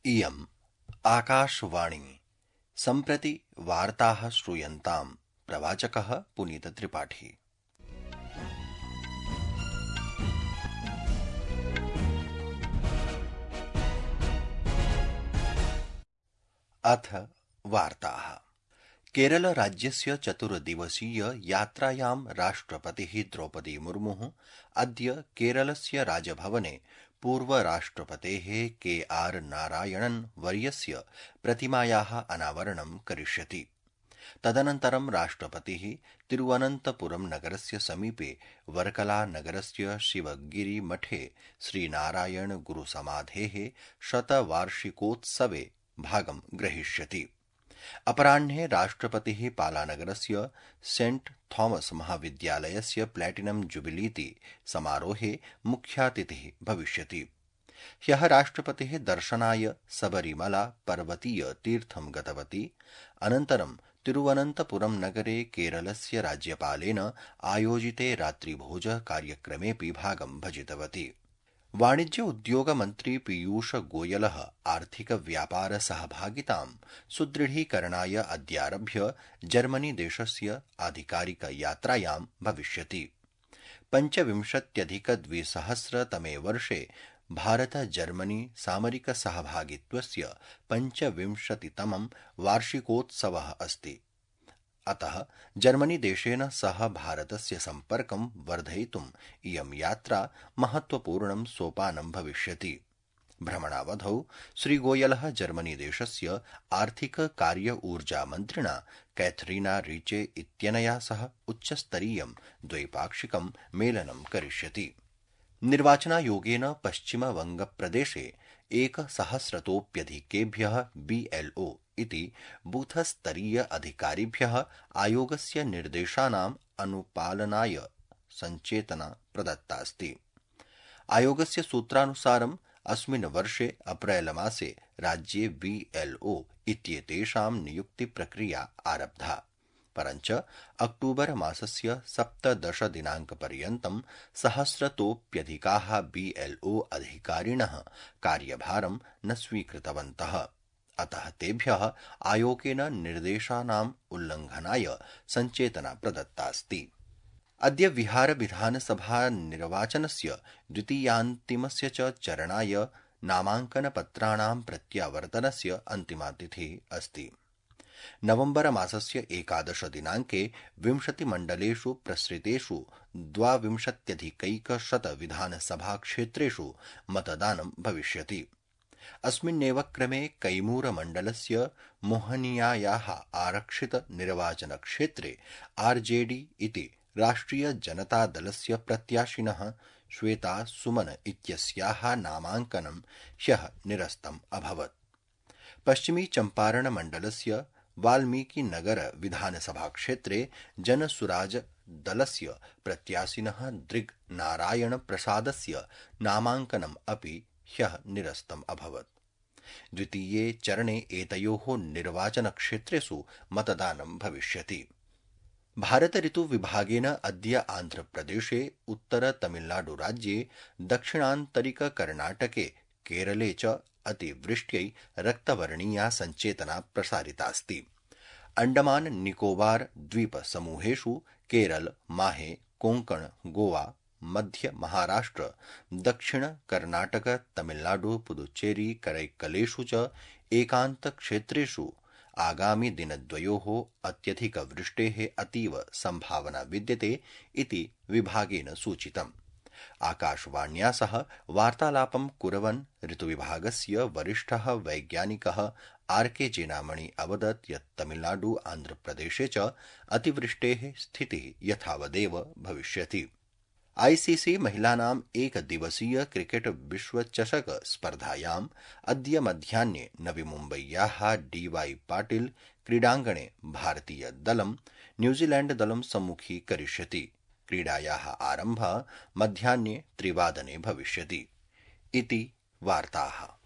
इयम् आकाशवाणी सम्प्रति वार्ताः श्रूयन्ताम्। प्रवाचकः पुनीतत्रिपाठी। अथ वार्ताः। केरलराज्यस्य चतुर्दिवसीय यात्रायां राष्ट्रपतिः द्रौपदी मुर्मुः अद्य केरलस्य राजभवने पूर्वराष्ट्रपतेः के.आर. नारायणन् वर्यस्य प्रतिमायाः अनावरणं करिष्यति। तदनन्तरं राष्ट्रपतिः तिरुवनन्तपुरं नगरस्य समीपे वर्कला नगरस्य शिवगिरिमठे श्रीनारायण गुरुसमाधेः शतवार्षिकोत्सवे भागं ग्रहीष्यति। अपराह्ने राष्ट्रपतिः पालानगरस्य सेंट थॉमस महाविद्यालयस्य प्लैटिनम जुबिलीति समारोहे मुख्यातिथिः भविष्यति। ह्यः राष्ट्रपतिः दर्शनाय सबरीमला पर्वतीय तीर्थं गतवती। अनन्तरं तिरुवनन्तपुरं नगरे केरलस्य राज्यपालेन आयोजिते रात्रिभोज कार्यक्रमेऽपि भागं भजितवती। वाणिज्य उद्योग मन्त्री पीयूष गोयलः आर्थिक व्यापार सहभागितां सुदृढीकरणाय अद्यारभ्य जर्मनी देशस्य आधिकारिक यात्रायां भविष्यति। 25+2000तमे वर्षे भारत जर्मनी सामरिक सहभागित्वस्य 25तमं वार्षिकोत्सवः अस्ति। अतः जर्मनी देशेन सह भारतस्य सम्पर्कं वर्धयितुम् इयं यात्रा महत्वपूर्णं सोपानं भविष्यति। भ्रमणावधौ श्रीगोयलः जर्मनी देशस्य आर्थिक कार्य ऊर्जा मन्त्रिणा कैथरीना रीचे इत्यनया सह उच्चस्तरीयं द्वैपाक्षिकं मेलनं करिष्यति। निर्वाचनायोगेन पश्चिमबंगप्रदेशे 1000तोऽप्यधिकेभ्यः BLO इति बूथस्तरीय अधिकारिभ्यः आयोगस्य निर्देशानाम् अनुपालनाय संचेतना प्रदत्तास्ति। आयोगस्य सूत्रानुसारम् अस्मिन् वर्षे अप्रैल मासे राज्ये BLO इत्येतेषां नियुक्तिप्रक्रिया आरब्धा। परञ्च अक्टूबर मासस्य 17 दिनाङ्कपर्यन्तं 1000तोऽप्यधिकाः BLO अधिकारिणः कार्यभारं न स्वीकृतवन्तः। अतः तेभ्यः आयोगेन निर्देशानाम् उल्लङ्घनाय संचेतना प्रदत्तास्ति। अद्य बिहार विधानसभा निर्वाचनस्य द्वितीयान्तिमस्य च चरणाय नामाङ्कनपत्राणां प्रत्यावर्तनस्य अन्तिमा तिथिः अस्ति। नवम्बर मासस्य 11 दिनाङ्के 20 मण्डलेषु प्रसृतेषु 22,100 विधानसभाक्षेत्रेषु मतदानं भविष्यति। अस्मिन्नेव क्रमे कैमूरमण्डलस्य मोहनियायाः आरक्षित निर्वाचनक्षेत्रे RJD इति राष्ट्रियजनतादलस्य प्रत्याशिनः श्वेता सुमन इत्यस्याः नामाङ्कनं ह्यः निरस्तम् अभवत्। पश्चिमी चम्पारण मण्डलस्य वाल्मीकिनगर विधानसभाक्षेत्रे जनसुराज दलस्य प्रत्याशिनः दृग् नारायण प्रसादस्य नामाङ्कनम् अपि ह्यः निरस्तम् अभवत्। द्वितीये चरणे एतयोः निर्वाचनक्षेत्रेषु मतदानं भविष्यति। भारत ऋतुविभागेन अद्य आन्ध्रप्रदेशे उत्तरतमिलनाडुराज्ये दक्षिणान्तरिककर्णाटके केरले च अतिवृष्ट्यै रक्तवर्णीया संचेतना प्रसारितास्ति। अण्डमान निकोबार द्वीपसमूहेषु केरल, माहे, कोङ्कण, गोवा, मध्य महाराष्ट्र, दक्षिण कर्णाटक, तमिलनाडु, पुदुच्चेरी, करैक्कलेषु च एकान्तक्षेत्रेषु आगामि दिनद्वयोः अत्यधिकवृष्टेः अतीव सम्भावना विद्यते इति विभागेन सूचितम्। आकाशवाण्या सह वार्तालापं कुर्वन् ऋतुविभागस्य वरिष्ठः वैज्ञानिकः R.K. जेनामणि अवदत् यत् तमिलनाडु, आन्ध्रप्रदेशे च अतिवृष्टेः स्थितिः यथावदेव भविष्यति। ICC महिलानाम् एकदिवसीय क्रिकेट विश्वचषक स्पर्धायाम् अद्य मध्याह्ने नवी मुम्बय्याः DY पाटिल क्रीडाङ्गणे भारतीयदलं न्यूजीलैण्डदलं सम्मुखीकरिष्यति। क्रीडायाः आरम्भः मध्याह्ने 3 भविष्यति। इति वार्ताः।